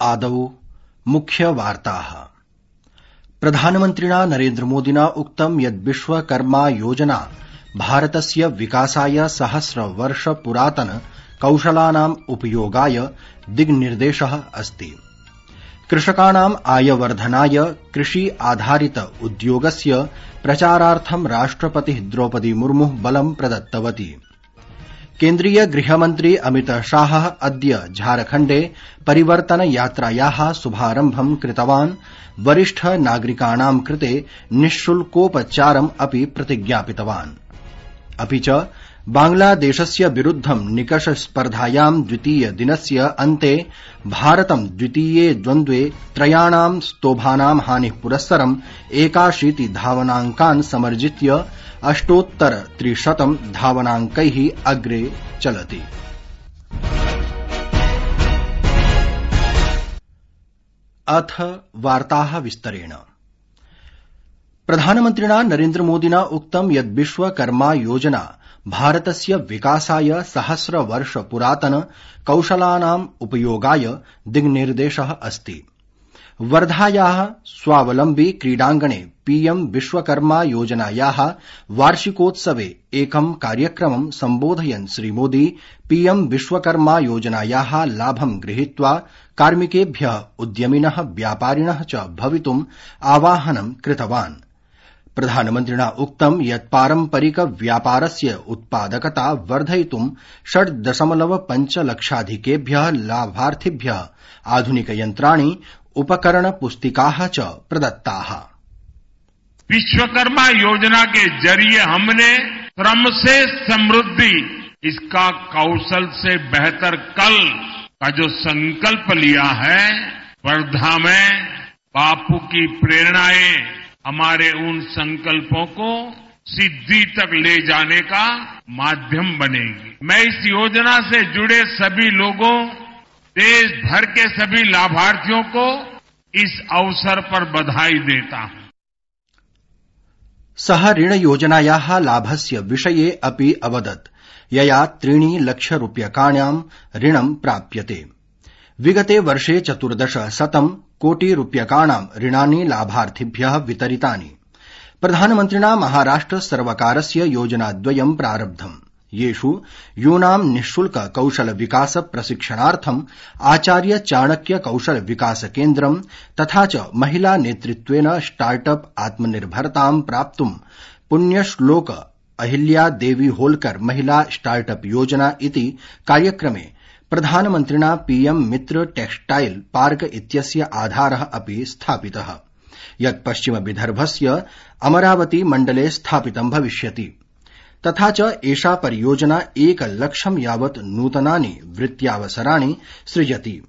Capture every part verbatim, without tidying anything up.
आदौ मुख्यवार्ताः। प्रधानमन्त्रिणा नरेन्द्रमोदिना उक्तं यत् विश्वकर्मा योजना भारतस्य विकासाय सहस्रवर्ष पुरातन कौशलानाम् उपयोगाय दिग्निर्देशः अस्ति। कृषकाणाम् आयवर्धनाय कृषि आधारित उद्योगस्य प्रचारार्थं राष्ट्रपतिः द्रौपदी मुर्मुः बलं प्रदत्तवती। केन्द्रीय गृहमन्त्री अमित शाहः अद्य झारखण्डे परिवर्तन यात्रायाः शुभारम्भं कृतवान्। वरिष्ठ नागरिकाणां कृते निःशुल्कोपचारम् अपि प्रतिज्ञापितवान्। अपि च बांग्लादेशस्य विरुद्धं निकष स्पर्धायां द्वितीय दिनस्य अन्ते भारतं द्वितीये द्वन्द्वे त्रयाणां स्तोभानां हानिः पुरस्सरम् एकाशीति धावनाङ्कान् समर्जित्य अष्टोत्तर त्रिशतं धावनाङ्कैः अग्रे चलति। अथ वार्ताः विस्तरेण। प्रधानमन्त्रिणा नरेन्द्रमोदिना उक्तं यत् विश्वकर्मा योजना भारतस्य विकासाय सहस्रवर्ष पुरातन कौशलानाम् उपयोगाय दिग्निर्देशः अस्ति। वर्धायाः स्वावलम्बी क्रीडाङ्गणे पीएम विश्वकर्मा योजनायाः वार्षिकोत्सवे एकं कार्यक्रमं सम्बोधयन् श्रीमोदी पीएम विश्वकर्मा योजनायाः लाभं गृहीत्वा कार्मिकेभ्यः उद्यमिनः व्यापारिणः च भवितुम् आवाहनं कृतवान्। प्रधानमन्त्रिणा उक्तं यत् पारम्परिक व्यापारस्य उत्पादकता वर्धयितुं षड् दशमलव पञ्च लक्षाधिकेभ्यः लाभार्थिभ्यः आधुनिकयन्त्राणि उपकरण पुस्तिकाः च प्रदत्ताः। विश्वकर्मा योजना के जरिए हमने श्रम से समृद्धि, इसका कौशल से बेहतर कल का जो संकल्प लिया है, वर्धा में बापू की प्रेरणाएं हमारे उन संकल्पों को सिद्धि तक ले जाने का माध्यम बनेगी। मैं इस योजना से जुड़े सभी लोगों, देश भर के सभी लाभार्थियों को इस अवसर पर बधाई देता हूं। सः ऋण योजनायाः लाभस्य विषये अपि अवदत्, यया त्रीणि लक्ष रूप्यकाणां ऋणं प्राप्यते। विगते वर्षे चतुर्दश शतं कोटि रूप्यकाणां ऋणानि लाभार्थिभ्यः वितरितानि। प्रधानमन्त्रिणा महाराष्ट्र सर्वकारस्य योजनाद्वयं प्रारब्धम्, येषु यूनां निःशुल्क कौशल विकास प्रशिक्षणार्थं आचार्य चाणक्य कौशल विकास केन्द्रं तथा च महिला नेतृत्वेन स्टार्टअप आत्मनिर्भरतां प्राप्तुं पुण्यश्लोक अहिल्या देवी होलकर महिला स्टार्टअप योजना इति कार्यक्रमे प्रधानमन्त्रिणा पीएम मित्र टेक्सटाइल पार्क इत्यस्य आधारः अपि स्थापितः, यत् पश्चिम विदर्भस्य अमरावती मण्डले स्थापितं भविष्यति। तथा च एषा परियोजना एक लक्षं यावत् नूतनानि वृत्त्यावसराणि सृजति,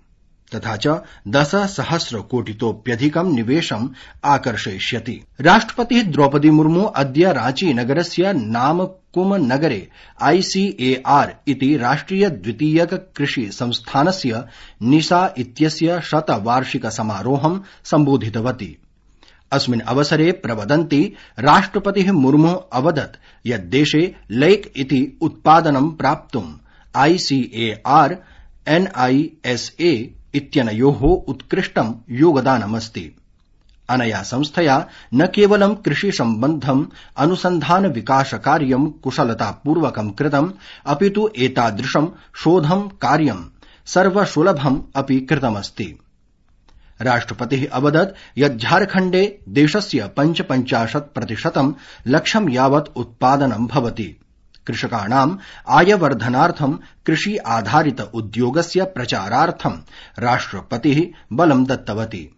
तथा च दश सहस्र कोटितोप्यधिकं निवेशम् आकर्षयिष्यति। राष्ट्रपतिः द्रौपदी मुर्मु अद्य रांची नगरस्य नामकुम नगरे आईसीएआर इति राष्ट्रिय द्वितीयक कृषि संस्थानस्य निशा इत्यस्य शतवार्षिक समारोहं सम्बोधितवती। अस्मिन् अवसरे प्रवदन्ती राष्ट्रपतिः मुर्मुः अवदत् यत् देशे लैक इति उत्पादनं प्राप्तुं आईसीएआर एनआईएसए इत्यनयोः उत्कृष्टं योगदानमस्ति। अनया संस्थया न केवलं कृषि सम्बद्धम् अनुसन्धान विकास कार्यं कुशलतापूर्वकं कृतम्, अपितु एतादृशं शोधं कार्यं सर्वसुलभम् अपि कृतमस्ति। राष्ट्रपतिः अवदत् यत् झारखण्डे देशस्य पञ्चपञ्चाशत् प्रतिशतं लक्ष्यं यावत् उत्पादनं भवति। कृषकाणाम् आयवर्धनार्थं कृषि आधारित उद्योगस्य प्रचारार्थं राष्ट्रपतिः बलं दत्तवती।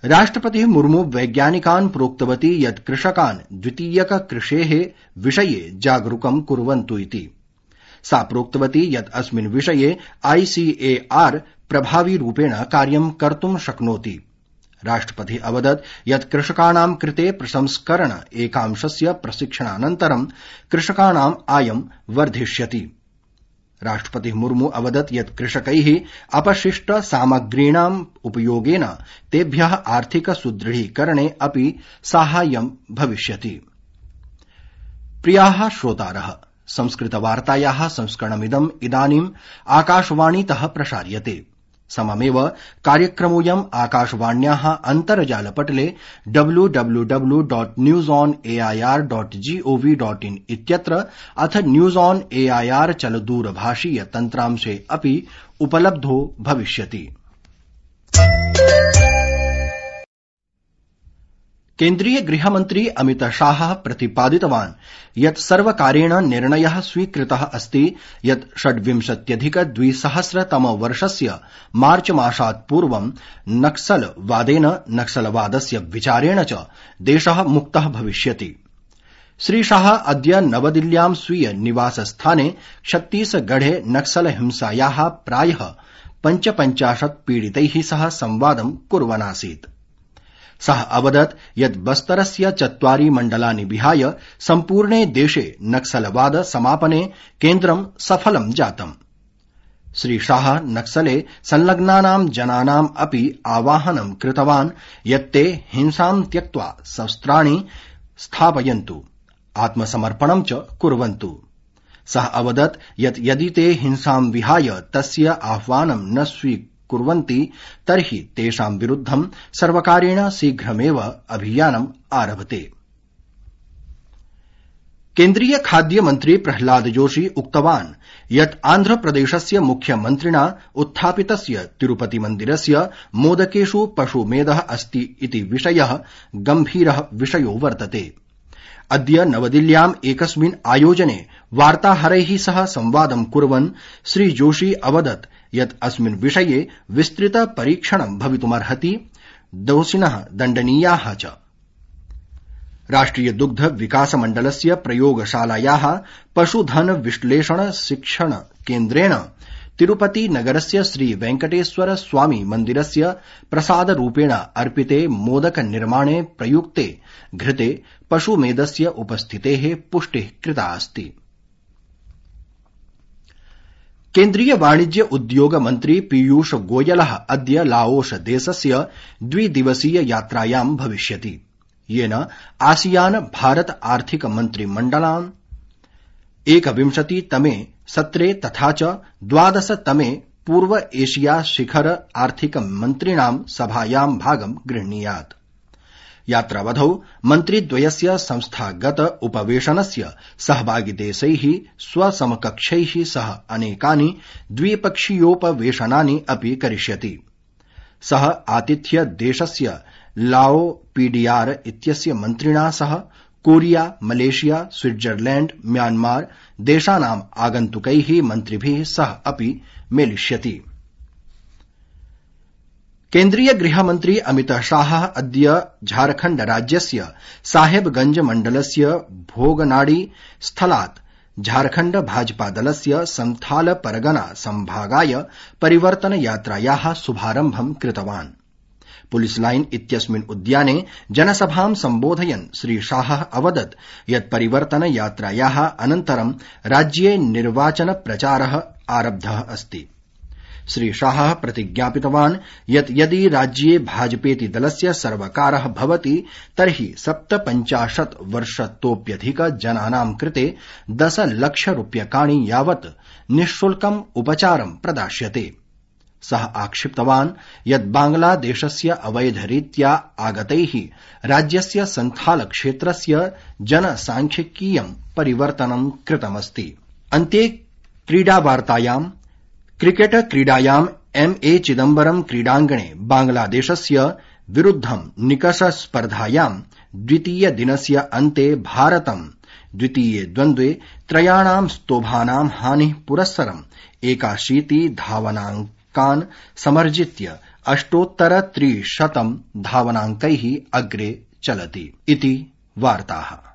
राष्ट्रपतिः मुर्मु वैज्ञानिकान् प्रोक्तवती यत् कृषकान् द्वितीयक कृषेः विषये जागरूकं कुर्वन्तु इति। सा प्रोक्तवती यत् अस्मिन् विषये आईसीएआर प्रभावी रूपेण कार्यं कर्तुं शक्नोति। राष्ट्रपतिः अवदत् यत् कृषकाणां कृते प्रसंस्करण एकांशस्य प्रशिक्षणानन्तरं कृषकाणाम् आयं वर्धिष्यति। राष्ट्रपतिः मुर्मु अवदत् यत् कृषकैः अपशिष्ट सामग्रीणाम् उपयोगेन तेभ्यः आर्थिक सुदृढीकरणे अपि साहाय्यं भविष्यति। प्रियाः श्रोतारः, संस्कृतवार्तायाः संस्करणमिदम् इदानीम् आकाशवाणीतः प्रसार्यते। सममेव कार्यक्रमोऽयं आकाशवाण्याः अन्तर्जालपटले W W W dot news on A I R dot G O V dot in इत्यत्र अथ न्यूज ऑन एआईआर चलदूरभाषीय तन्त्रांशे अपि उपलब्धो भविष्यति। केन्द्रीय गृहमन्त्री अमित शाहः प्रतिपादितवान् यत् सर्वकारेण निर्णयः स्वीकृतः अस्ति यत् षड्विंशत्यधिक द्विसहस्रतमवर्षस्य मार्च मासात् पूर्वं नक्सलवादेन नक्सलवादस्य विचारेण च देशः मुक्तः भविष्यति। श्रीशाह अद्य नवदिल्ल्यां स्वीय निवासस्थाने छत्तीसगढ़े नक्सलहिंसायाः प्रायः पञ्चपञ्चाशत् पीडितैः सह संवादं कुर्वन् आसीत्। सः अवदत् यत् बस्तरस्य चत्वारि मण्डलानि विहाय सम्पूर्णे देशे नक्सलवाद समापने केन्द्रं सफलं जातम्। श्रीशाह नक्सले संलग्नानां जनानाम् अपि आवाहनं कृतवान् यत् ते हिंसां त्यक्त्वा शस्त्राणि स्थापयन्तु, आत्मसमर्पणं च कुर्वन्तु। सः अवदत् यत् यदि ते हिंसां विहाय तस्य आह्वानं न स्वीकुर्वन्ति तर्हि तेषां विरुद्धं सर्वकारेण शीघ्रमेव अभियानम् आरभते। केन्द्रीय खाद्य मन्त्री प्रह्लाद जोशी उक्तवान् यत् आन्ध्रप्रदेशस्य मुख्यमन्त्रिणा उत्थापितस्य तिरुपति मन्दिरस्य मोदकेषु पशुमेधः अस्ति इति विषयः गम्भीरः विषयो वर्तते। अद्य नवदिल्ल्याम् एकस्मिन् आयोजने वार्ताहरैः सह संवादं कुर्वन् श्री जोशी अवदत् यत् अस्मिन् विषये विस्तृत परीक्षणं भवितुमर्हति, दोषिणः दण्डनीयाः च। राष्ट्रिय दुग्ध विकास मण्डलस्य प्रयोगशालायाः पशुधन विश्लेषण शिक्षण केन्द्रेण तिरुपति नगरस्य श्री वेंकटेश्वर स्वामी मन्दिरस्य प्रसादरूपेण अर्पिते मोदक निर्माणे प्रयुक्ते घृते पशुमेधस्य उपस्थितेः पुष्टिः कृता अस्ति। केन्द्रीय वाणिज्य उद्योग मन्त्री पीयूष गोयलः अद्य लाओस देशस्य द्विदिवसीय यात्रायां भविष्यति, येन आसियान भारत आर्थिक मन्त्रिमण्डलाम् एकविंशतितमे सत्रे तथा च द्वादशतमे पूर्व एशिया शिखर आर्थिक मन्त्रिणां सभायां भागं गृह्णीयात्। यात्रावधौ मन्त्रिद्वयस्य संस्थागत उपवेशनस्य सहभागिदेशैः स्वसमकक्षैः सह अनेकानि द्विपक्षीयोपवेशनानि अपि करिष्यति। सः आतिथ्य देशस्य लाओ पीडीआर इत्यस्य मन्त्रिणा सह कोरिया, मलेशिया, स्विट्जरलैण्ड, म्यांमार देशानाम् आगन्तुकैः मन्त्रिभिः सह अपि मेलिष्यति। केन्द्रीय गृहमन्त्री अमित शाहः अद्य झारखण्ड राज्यस्य साहेबगंज मण्डलस्य भोगनाडी स्थलात् झारखण्ड भाजपा दलस्य संथाल परगना संभागाय परिवर्तन यात्रायाः शुभारम्भं कृतवान्। पुलिस लाइन इत्यस्मिन् उद्याने जनसभां सम्बोधयन् श्री शाहः अवदत् यत् परिवर्तन यात्रायाः अनन्तरं राज्ये निर्वाचन प्रचारः आरब्धः अस्ति। श्री शाहः प्रतिज्ञापितवान् यत् यदि राज्ये भाजपेति दलस्य सर्वकारः भवति तर्हि सप्तपञ्चाशत् वर्षतोऽप्यधिक जनानां कृते दश लक्ष रूप्यकाणि यावत् निःशुल्कम् उपचारं प्रदास्यते। सः आक्षिप्तवान् यत् बांग्लादेशस्य अवैधरीत्या आगतैः राज्यस्य संथाल क्षेत्रस्य जनसांख्यिकीयं परिवर्तनं कृतमस्ति। अन्ते क्रीडावार्तायाम् क्रिकेट क्रीडायाम् एम ए चिदम्बरम क्रीडाङ्गणे बांग्लादेशस्य विरुद्धं निकष स्पर्धायां द्वितीय दिनस्य अन्ते भारतं द्वितीये द्वन्द्वे त्रयाणां स्तोभानां हानिः पुरस्सरम् एकाशीति धावनाङ्कान् समर्जित्य अष्टोत्तर त्रिशतं धावनाङ्कैः अग्रे चलति इति वार्ताः।